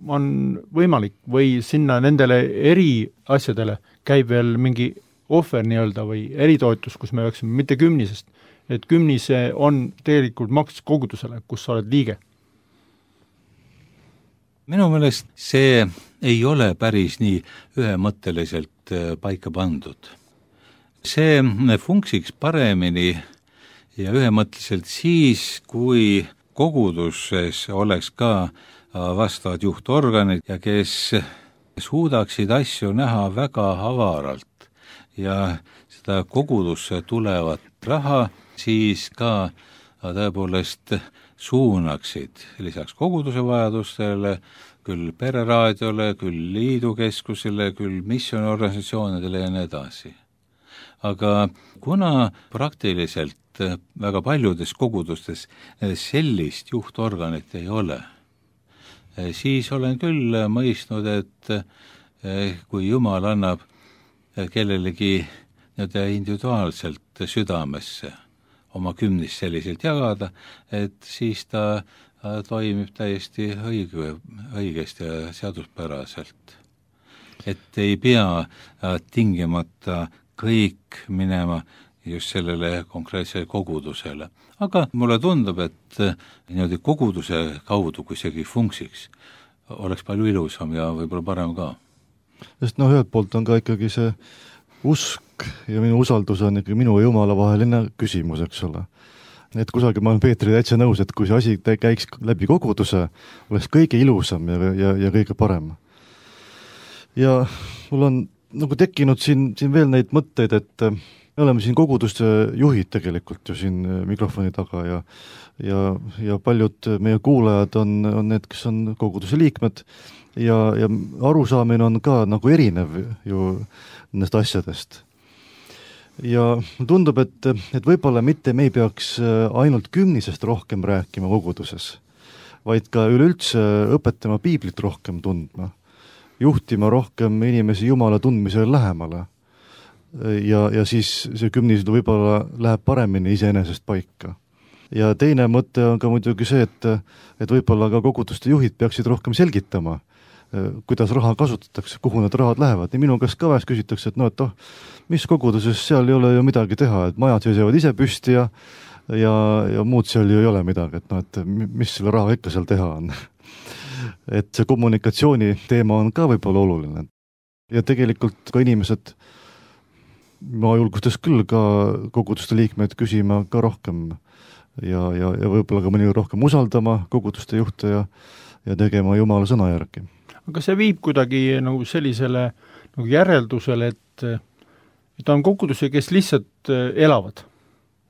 on võimalik või sinna nendele eri asjadele käib veel mingi ohver nii-öelda või eritoetus, kus me peaksime mitte 10, et 10 on tegelikult maks kogudusele, kus sa oled liige? Minu meelest see ei ole päris nii ühemõtteliselt paika pandud. See funksiks paremini ja ühemõtteliselt siis, kui koguduses oleks ka vastavad juhtorganid ja kes suudaksid asju näha väga avaralt ja seda kogudusse tulevat raha siis ka tõepoolest suunaksid lisaks koguduse vajadustele, küll pereraadiole, küll liidukeskusele, küll missiooniorganisatsioonidele ja nii edasi. Aga kuna praktiliselt väga paljudes kogudustes sellist juhtorganit ei ole, siis olen küll mõistnud, et kui Jumal annab kellelegi individuaalselt südamesse oma 10 selliselt jagada, et siis ta toimib täiesti õigesti ja seaduspäraselt. Et ei pea tingimata kõik minema just sellele konkreetsele kogudusele. Aga mulle tundub, et koguduse kaudu, kui seegi funksiks, oleks palju ilusam ja võib-olla parem ka. Sest ühelt poolt on ka ikkagi see usk ja minu usaldus on ikkagi minu ja Jumala vaheline küsimus, eks ole. Et kusagil ma olen Peetri täitsa nõus, et kui see asi käiks läbi koguduse, oleks kõige ilusam ja kõige parem. Ja mul on tekkinud siin veel neid mõtteid, et me oleme siin koguduste juhid tegelikult ju siin mikrofoni taga ja paljud meie kuulajad on need, kes on koguduse liikmed ja arusaamine on ka erinev ju nendest asjadest. ja tundub, et võib-olla mitte me ei peaks ainult kümnisest rohkem rääkima koguduses, vaid ka üleüldse õpetama piiblit rohkem tundma, juhtima rohkem inimesi Jumala tundmisele lähemale. Ja siis see kümnis võib-olla läheb paremini iseenesest paika. Ja teine mõte on ka muidugi see, et võib-olla ka koguduste juhid peaksid rohkem selgitama, kuidas raha kasutatakse, kuhu need rahad lähevad. Ja minu käest ka vahest küsitakse, et mis koguduses seal ei ole ju midagi teha, et majad seisavad ise püsti ja muud seal ju ei ole midagi, et mis selle raha ikka seal teha on. Et see kommunikatsiooni teema on ka võib-olla oluline. Ja tegelikult ka inimesed, ma julgustas küll ka koguduste liikmeid küsima ka rohkem ja võib-olla ka mõni rohkem usaldama koguduste juhte ja tegema Jumala sõna järgi. Aga see viib kuidagi nagu sellisele nagu järeldusele, et on kogudusi, kes lihtsalt elavad.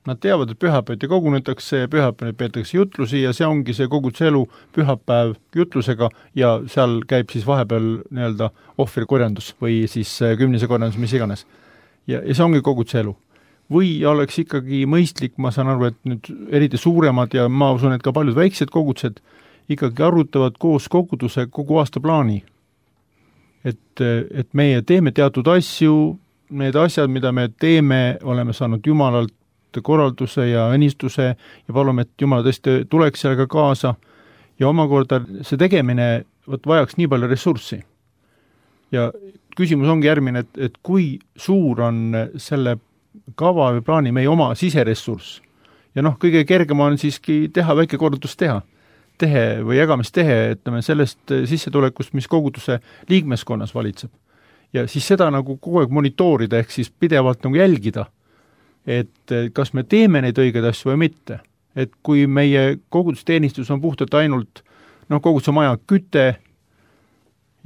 Nad teavad, et pühapäeviti kogunetakse, pühapäev peetakse jutlusi ja see ongi see koguduse elu pühapäev jutlusega ja seal käib siis vahepeal nii-öelda ohvrikorjandus või siis kümnise korjandus, mis iganes. Ja see ongi koguduse elu. Või oleks ikkagi mõistlik, ma saan aru, et nüüd eriti suuremad ja ma usun, et ka paljud väiksed kogudused ikkagi arutavad koos koguduse kogu aasta plaani. Et meie teeme teatud asju, need asjad, mida me teeme, oleme saanud Jumalalt korralduse ja õnnistuse ja palume, et Jumal tõesti tuleks sellega kaasa ja omakorda see tegemine vajaks nii palju ressurssi. Ja küsimus ongi järgmine, et kui suur on selle kava või plaani meie oma siseressurss. Ja kõige kergem on siiski teha väike kordustehe või jagamistehe, sellest sissetulekust, mis koguduse liikmeskonnas valitseb. Ja siis seda nagu kogu aeg monitoorida, ehk siis pidevalt nagu jälgida, et kas me teeme neid õigeid asju või mitte. Et kui meie kogudusteenistus on puhtalt ainult koguduse maja küte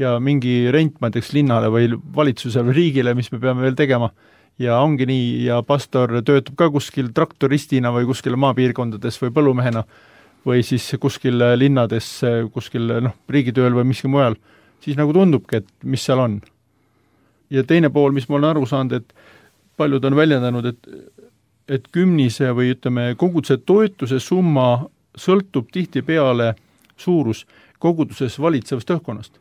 ja mingi rent, ma teeks linnale või valitsusele või riigile, mis me peame veel tegema, ja ongi nii, ja pastor töötab ka kuskil traktoristina või kuskil maapiirkondades või põllumehena või siis kuskil linnades, kuskil riigitööl või miski mujal, siis nagu tundubki, et mis seal on. Ja teine pool, mis ma olen aru saanud, et paljud on väljendanud, et kümnise või koguduse toetuse summa sõltub tihtipeale suurus koguduses valitsevast õhkkonnast.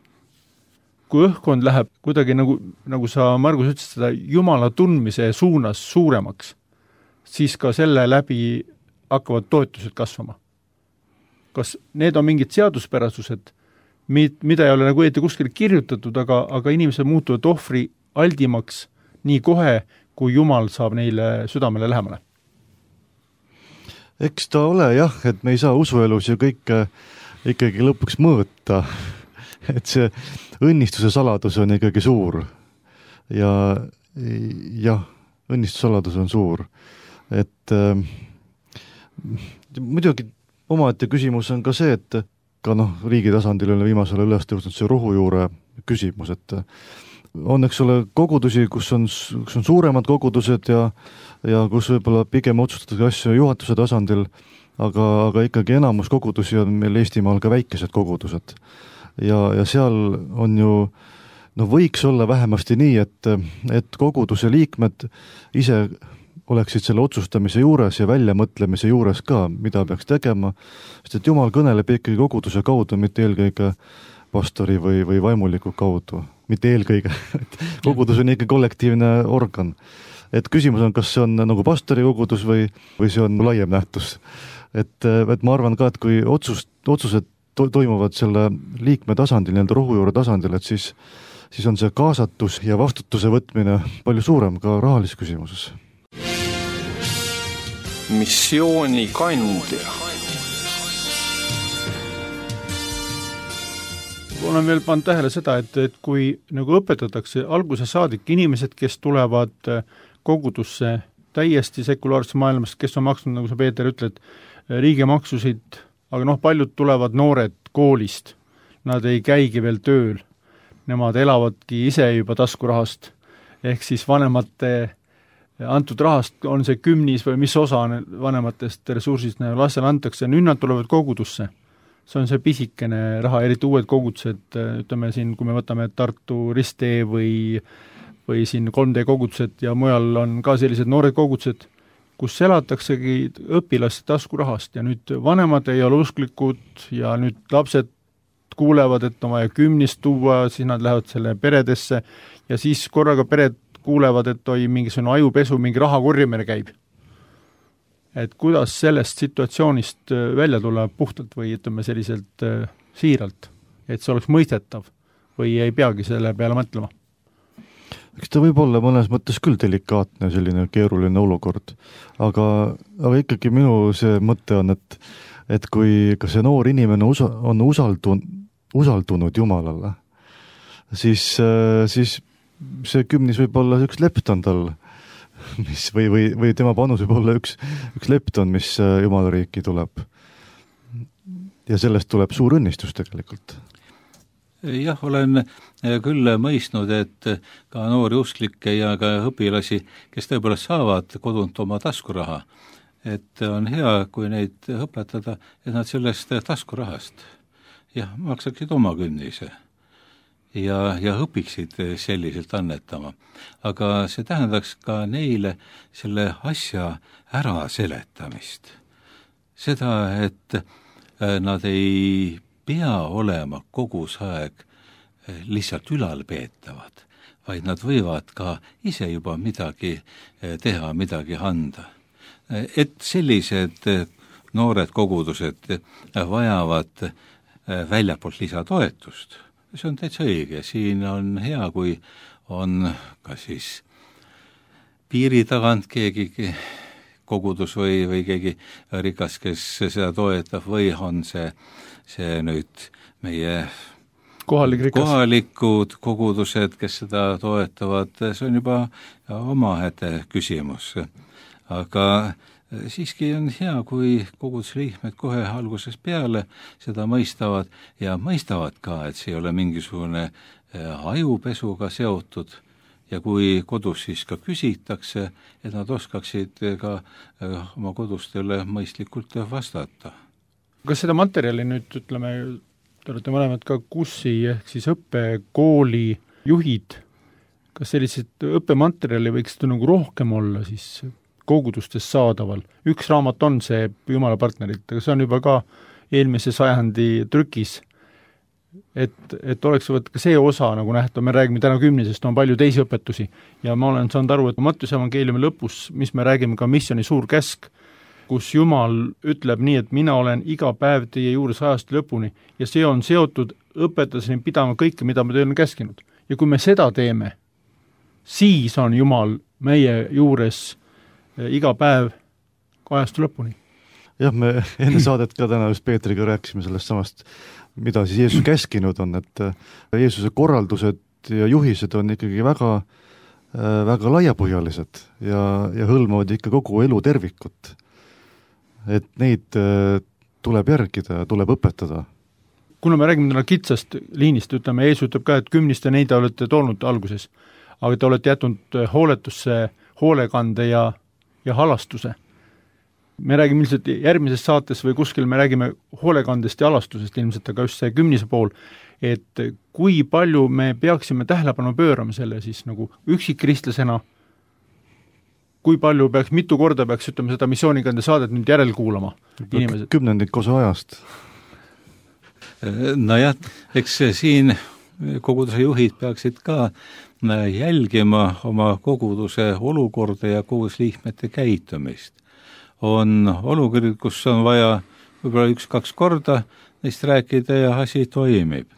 Kui õhkkond läheb kuidagi nagu sa, Margus, ütlesid seda Jumala tundmise suunas suuremaks, siis ka selle läbi hakkavad toetused kasvama. Kas need on mingid seaduspärasused, mida ei ole nagu õieti kuskil kirjutatud, aga inimesed muutuvad ohvri aldimaks nii kohe, kui Jumal saab neile südamele lähemale? Eks ta ole jah, et me ei saa usuelus ju kõike ikkagi lõpuks mõõta. Et see õnnistuse saladus on ikkagi suur. Ja õnnistuse saladus on suur. Et muidugi omaette küsimus on ka see, et ka riigi tasandil on viimasel üles tõusnud see rohujuure küsimus, et on, eks ole, kogudusi, kus on suuremad kogudused ja kus võib-olla pigem otsustatakse asju juhatuse tasandil, aga ikkagi enamus kogudusi on meil Eestimaal ka väikesed kogudused. Ja seal on ju, võiks olla vähemasti nii, et koguduse liikmed ise oleksid selle otsustamise juures ja väljamõtlemise juures ka, mida peaks tegema, sest et Jumal kõneleb ikkagi koguduse kaudu, mitte eelkõige pastori või vaimuliku kaudu, mitte eelkõige. Kogudus on ikka kollektiivne organ. Et küsimus on, kas see on nagu pastori kogudus või see on laiem nähtus. Et ma arvan ka, et kui otsused toimuvad selle liikme tasandil, nii-öelda rohujuure tasandil, et siis on see kaasatus ja vastutuse võtmine palju suurem ka rahalises küsimuses. Missiooni kandja. Olen veel pannud tähele seda, et kui nagu õpetatakse alguse saadik inimesed, kes tulevad kogudusse täiesti sekulaarsest maailmast, kes on maksnud, nagu sa, Peeter, ütled, riigimaksusid, aga paljud tulevad noored koolist, nad ei käigi veel tööl, nemad elavadki ise juba taskurahast, ehk siis vanemate antud rahast on see kümnis või mis osa vanematest ressursist lastele antakse, nüüd nad tulevad kogudusse. See on see pisikene raha, eriti uued kogudused, ütleme siin, kui me võtame Tartu Risttee või või siin 3D kogudused ja mujal on ka sellised noored kogudused, kus elataksegi õpilaste taskurahast ja nüüd vanemad ei ole usklikud ja nüüd lapsed kuulevad, et on vaja kümnist tuua, siis nad lähevad selle peredesse ja siis korraga pered kuulevad, et mingisugune ajupesu, mingi raha korjamine käib. Et kuidas sellest situatsioonist välja tulla puhtalt või ütleme selliselt siiralt, et see oleks mõistetav või ei peagi selle peale mõtlema? Eks ta võib olla mõnes mõttes küll delikaatne selline keeruline olukord, aga ikkagi minu see mõte on, et kui ka see noor inimene on usaldunud Jumalale, siis see kümnis võib olla üks lepton tal, mis või tema panus võib olla üks lepton, mis Jumala riiki tuleb. Ja sellest tuleb suur õnnistus tegelikult. Jah, olen küll mõistnud, et ka noori usklikke ja ka õpilasi, kes tõepoolest saavad kodunt oma taskuraha, et on hea, kui neid õpetada, et nad sellest taskurahast maksaksid oma kümnise ja õpiksid selliselt annetama. Aga see tähendaks ka neile selle asja ära seletamist. Seda, et nad ei pea olema kogus aeg lihtsalt ülalpeetavad, vaid nad võivad ka ise juba midagi teha, midagi anda. Et sellised noored kogudused vajavad väljapoolt lisatoetust. See on täitsa õige, siin on hea, kui on ka siis piiri tagant keegi kogudus või keegi rikas, kes seda toetab või on see nüüd meie kohalikud kogudused, kes seda toetavad, see on juba omaette küsimus. Aga siiski on hea, kui kogudusliikmed kohe algusest peale seda mõistavad ja mõistavad ka, et see ei ole mingisugune ajupesuga seotud ja kui kodus siis ka küsitakse, et nad oskaksid ka oma kodustele mõistlikult vastata. Kas seda materjali nüüd, ütleme, te olete mõlemad ka KUSSi ehk siis õppekooli juhid, kas sellised õppematerjali võiks seda nagu rohkem olla siis kogudustes saadaval? Üks raamat on see Jumala partnerit, aga see on juba ka eelmise sajandi trükis, et oleks ka see osa nagu nähtav, me räägime täna 10, on palju teisi õpetusi ja ma olen saanud aru, et Mattiuse evangeeliumi lõpus, mis me räägime ka missiooni suur käsk, kus Jumal ütleb nii, et mina olen iga päev teie juures ajast lõpuni ja see on seotud õpetuseni pidama kõike, mida me teile on käskinud. Ja kui me seda teeme, siis on Jumal meie juures iga päev ajast lõpuni. Jah, me enne saadet ka täna just Peetriga rääkisime sellest samast, mida siis Jeesus käskinud on, et Jeesuse korraldused ja juhised on ikkagi väga laiapõhjalised ja hõlmavad ikka kogu elu tervikut. Et neid tuleb järgida ja tuleb õpetada. Kuna me räägime täna kitsast liinist, ütleme, Jeesus ütleb ka, et 10 neid olete toonud alguses, aga te olete jätnud hooletusse, hoolekande ja halastuse. Me räägime ilmselt järgmises saates või kuskil me räägime hoolekandest ja halastusest ilmselt, aga just see 10 pool, et kui palju me peaksime tähelepanu pöörama selle siis nagu üksikkristlasena, kui palju mitu korda peaks, ütleme, seda missioonikande saadet nüüd järel kuulama inimesed? 10 osa ajast. Nojah, eks siin koguduse juhid peaksid ka jälgima oma koguduse olukorda ja kogudusliikmete käitumist. On olukord, kus on vaja võib-olla 1-2 korda neist rääkida ja asi toimib.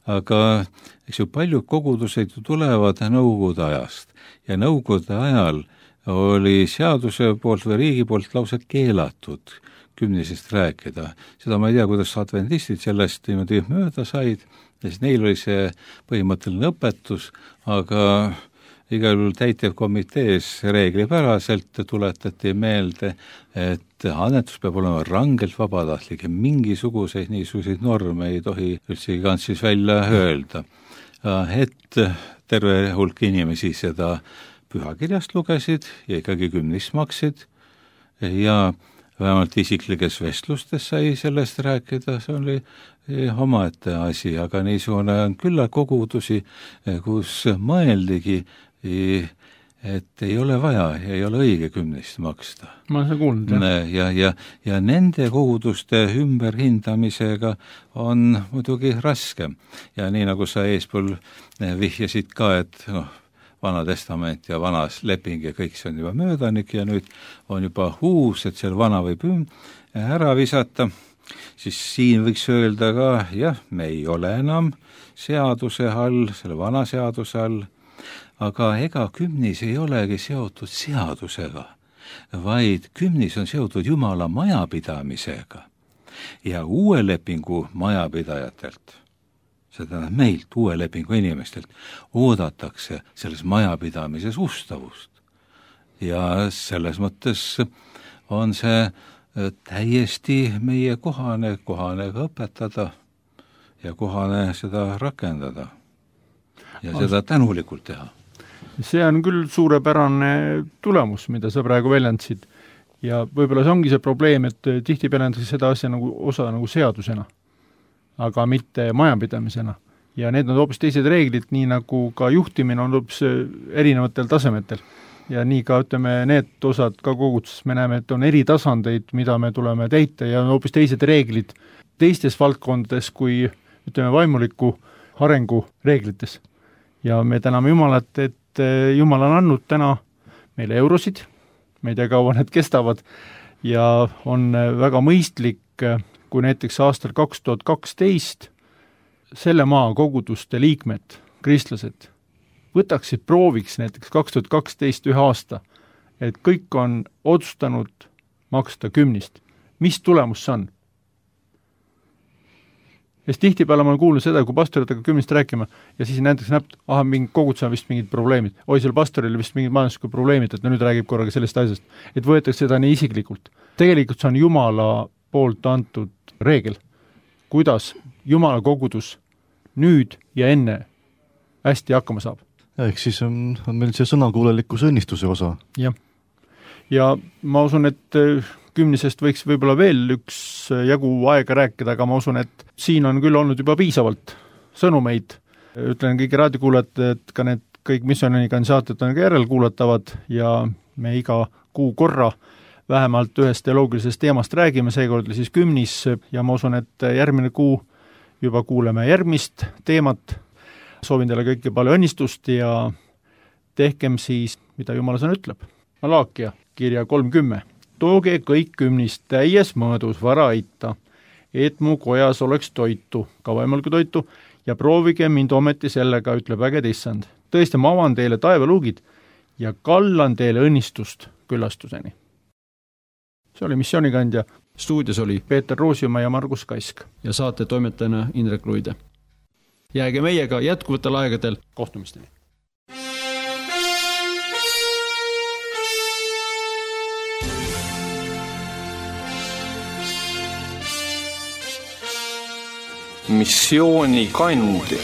Aga eks ju paljud kogudused tulevad nõukogude ajast ja nõukogude ajal oli seaduse poolt või riigi poolt lausa keelatud 10 rääkida. Seda ma ei tea, kuidas adventistid sellest niimoodi mööda said, sest neil oli see põhimõtteline õpetus, aga igal juhul täitevkomitees reeglipäraselt tuletati meelde, et annetus peab olema rangelt vabatahtlik ja mingisuguseid niisuguseid norme ei tohi üldse kantsis välja öelda. Et terve hulk inimesi seda pühakirjast lugesid ja ikkagi 10 maksid ja vähemalt isiklikes vestlustes sai sellest rääkida, see oli omaette asi, aga niisugune on külla kogudusi, kus mõeldigi et ei ole vaja, ei ole õige kümnist maksta. Ma olen seda kuulnud, ja nende koguduste ümberhindamisega on muidugi raskem. Ja nii nagu sa eespool vihjasid ka, et Vana Testament ja vanas leping ja kõik see on juba möödanik ja nüüd on juba uus, et seal vana võib ära visata, siis siin võiks öelda ka, jah, me ei ole enam seaduse all, selle vana seaduse all, aga ega kümnis ei olegi seotud seadusega, vaid kümnis on seotud Jumala majapidamisega ja uue lepingu majapidajatelt, seda meilt, uue lepingu inimestelt, oodatakse selles majapidamises ustavust. Ja selles mõttes on see täiesti meie kohane ka õpetada ja kohane seda rakendada ja seda tänulikult teha. See on küll suurepärane tulemus, mida sa praegu väljendasid. Ja võib-olla see ongi see probleem, et tihti väljendatakse seda asja nagu osa nagu seadusena, aga mitte majapidamisena. Ja need on hoopis teised reeglid, nii nagu ka juhtimine on hoopis erinevatel tasemetel. Ja nii ka, ütleme, need osad ka koguduses me näeme, et on eri tasandeid, mida me tuleme täita ja on hoopis teised reeglid teistes valdkondades kui, ütleme, vaimuliku arengu reeglites. Ja me täname Jumalat, et Jumal on andnud täna meile eurosid, me ei tea, kaua need kestavad, ja on väga mõistlik, kui näiteks aastal 2012 selle maa koguduste liikmed, kristlased, võtaksid prooviks näiteks 2012 ühe aasta, et kõik on otsustanud maksta kümnist. Mis tulemus see on? Sest tihtipeale ma olen kuulnud seda, kui pastoritega kümnist rääkima ja siis näiteks näeb, mingi kogudusel vist mingid probleemid. Seal pastoril vist mingid majanduslikud probleemid, et nüüd räägib korraga sellest asjast. Et võetakse seda nii isiklikult. Tegelikult see on Jumala poolt antud reegel, kuidas Jumala kogudus nüüd ja enne hästi hakkama saab. Ehk siis on meil see sõnakuulelikkuse õnnistuse osa. Jah. Ja ma usun, et kümnisest võiks võib-olla veel üks jagu aega rääkida, aga ma usun, et siin on küll olnud juba piisavalt sõnumeid. Ütlen kõigi raadiokuulajad, et ka need kõik missiooniga saated on ka järelkuulatavad ja me iga kuu korra vähemalt ühest teoloogilisest teemast räägime, seekord siis kümnis ja ma usun, et järgmine kuu juba kuuleme järgmist teemat. Soovin teile kõike palju õnnistust ja tehkem siis, mida Jumala sõna ütleb. Malaakia kirja 30. Tooge kõik kümnist täies mõõdus vara aita, et mu kojas oleks toitu, ka võimalikku toitu, ja proovige mind ometi sellega, ütleb äged issand. Tõesti, ma avan teile taevaluugid ja kallan teile õnnistust küllastuseni. See oli missionikandja. Stuudios oli Peeter Roosiumaa ja Margus Kask. Ja saate toimetajana Indrek Luide. Jääge meiega jätkuvatel aegadel. Kohtumisteni. Missioonikandja.